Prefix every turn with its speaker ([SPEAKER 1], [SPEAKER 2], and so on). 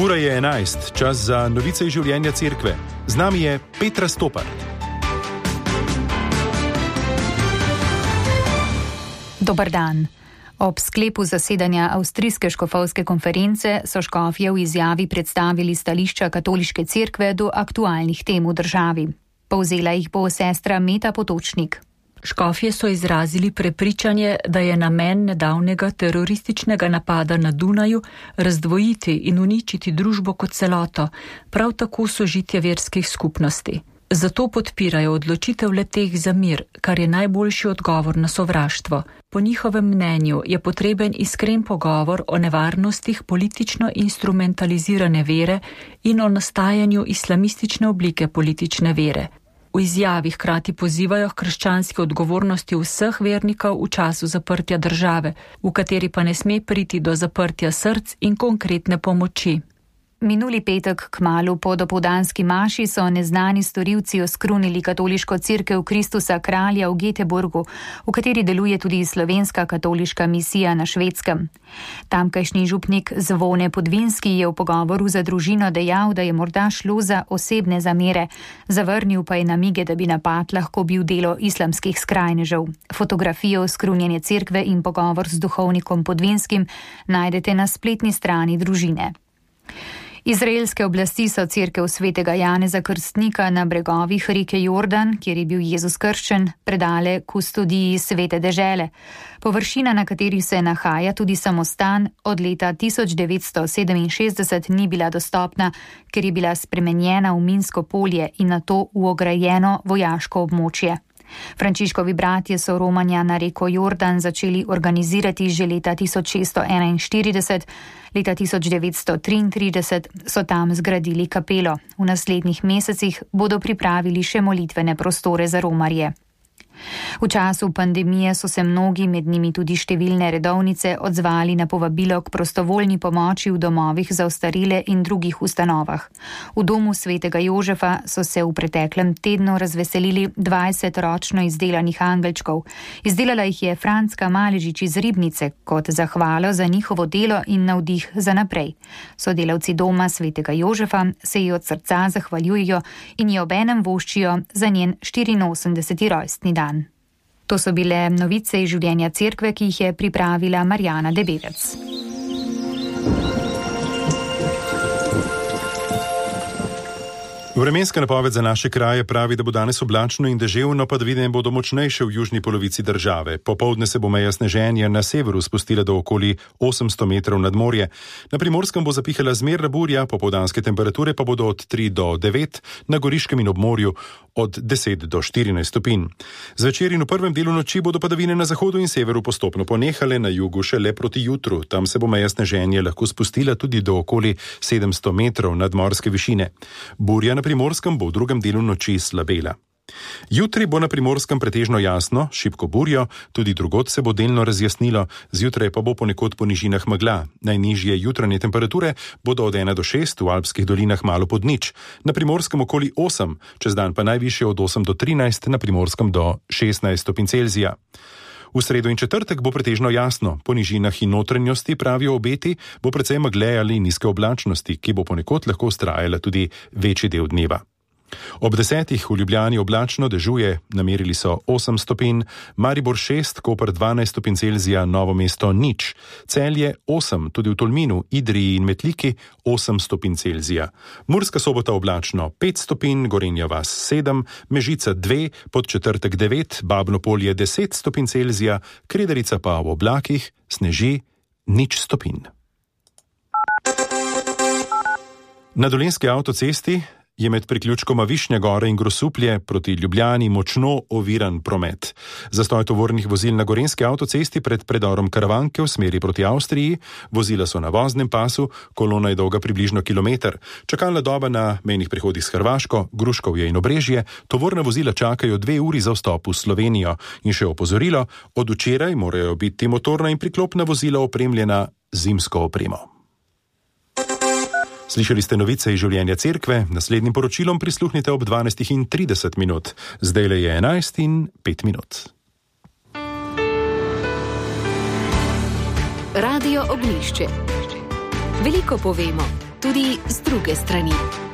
[SPEAKER 1] Ura je 11, čas za novice iz življenja cerkve. Z nami je Petra Stopar.
[SPEAKER 2] Dober dan. Ob sklepu zasedanja Avstrijske škofovske konference so škofje v izjavi predstavili stališča katoliške cerkve do aktualnih tem v državi. Povzela jih bo sestra Meta Potočnik.
[SPEAKER 3] Škofje so izrazili prepričanje, da je namen nedavnega terorističnega napada na Dunaju razdvojiti in uničiti družbo kot celoto, prav tako sožitje verskih skupnosti. Zato podpirajo odločitev le-teh za mir, kar je najboljši odgovor na sovraštvo. Po njihovem mnenju je potreben iskren pogovor o nevarnostih politično instrumentalizirane vere in o nastajanju islamistične oblike politične vere. V izjavi hkrati pozivajo k krščanski odgovornosti vseh vernikov v času zaprtja države, v kateri pa ne sme priti do zaprtja src in konkretne pomoči.
[SPEAKER 2] Minuli petek kmalu po dopoldanski maši so neznani storilci oskrunili katoliško cerkev Kristusa Kralja v Göteborgu, v kateri deluje tudi slovenska katoliška misija na Švedskem. Tamkajšnji župnik Zvone Podvinski je v pogovoru za družino dejal, da je morda šlo za osebne zamere, zavrnil pa je namige, da bi napad lahko bil delo islamskih skrajnežev. Fotografijo oskrunjene cerkve in pogovor z duhovnikom Podvinskim najdete na spletni strani družine. Izraelske oblasti so cerkev svetega Janeza Krstnika na bregovih reke Jordan, kjer je bil Jezus krščen, predale kustodiji svete dežele. Površina, na kateri se nahaja tudi samostan, od leta 1967 ni bila dostopna, ker je bila spremenjena v minsko polje in nato v ograjeno vojaško območje. Frančiškovi bratje so romanja na reko Jordan začeli organizirati že leta 1641, leta 1933 so tam zgradili kapelo. V naslednjih mesecih bodo pripravili še molitvene prostore za romarje. V času pandemije so se mnogi, med njimi tudi številne redovnice, odzvali na povabilo k prostovoljni pomoči v domovih za ostarele in drugih ustanovah. V domu svetega Jožefa so se v preteklem tednu razveselili 20 ročno izdelanih angelčkov. Izdelala jih je Franska Maležič iz Ribnice kot zahvalo za njihovo delo in navdih za naprej. Sodelavci doma svetega Jožefa se ji od srca zahvaljujejo in ji obenem voščijo za njen 84. rojstni dan. To so bile novice iz življenja cerkve, ki jih je pripravila Marjana Debevec.
[SPEAKER 1] Vremenska napoved za naše kraje pravi, da bo danes oblačno in deževno, padavine bodo močnejše v južni polovici države. Popoldne se bo meja sneženja na severu spustila do okoli 800 metrov nad morje. Na Primorskem bo zapihala zmerna burja, popoldanske temperature pa bodo od 3 do 9, na Goriškem in ob morju od 10 do 14 stopinj. Zvečer in v prvem delu noči bodo padavine na zahodu in severu postopno ponehale, na jugu šele proti jutru. Tam se bo meja sneženja lahko spustila tudi do okoli 700 metrov nadmorske višine. Burja na Primorskem bo v drugem delu noči slabela. Jutri bo na Primorskem pretežno jasno, šibko burjo, tudi drugod se bo delno razjasnilo, zjutraj pa bo ponekod po nižinah megla. Najnižje jutranje temperature bodo od 1 do 6, v alpskih dolinah malo pod nič, na Primorskem okoli 8, čez dan pa najvišje od 8 do 13, na Primorskem do 16 stopinj Celzija. V sredo in četrtek bo pretežno jasno, po nižinah in notranjosti, pravijo obeti, bo precej megle ali nizke oblačnosti, ki bo ponekod lahko vztrajala tudi večji del dneva. Ob 10 v Ljubljani oblačno, dežuje, namerili so 8 stopinj, Maribor 6, Koper 12 stopinj Celzija, Novo mesto nič, Celje 8, tudi v Tolminu, Idriji in Metliki 8 stopinj Celzija. Murska Sobota oblačno 5 stopinj, Gorenja vas 7, Mežica 2, Podčetrtek 9, Babno Polje 10 stopinj Celzija, Krederica pa v oblakih sneži 0 stopinj. Na Dolenjski avtocesti je med priključkoma Višnja Gore in Grosuplje proti Ljubljani močno oviran promet. Zastoj tovornih vozil na Gorenjski avtocesti pred predorom Karavanke v smeri proti Avstriji, vozila so na voznem pasu, kolona je dolga približno kilometer. Čakalna doba na mejnih prehodih s Hrvaško, Gruškovje in Obrežje, tovorna vozila čakajo 2 uri za vstop v Slovenijo. In še opozorilo, od včeraj morajo biti motorna in priklopna vozila opremljena zimsko opremo. Slišali ste novice iz življenja cerkve, naslednjim poročilom prisluhnite ob 12:30. Zdajle je 11:05.
[SPEAKER 4] Radio Oglišče. Veliko povemo, tudi z druge strani.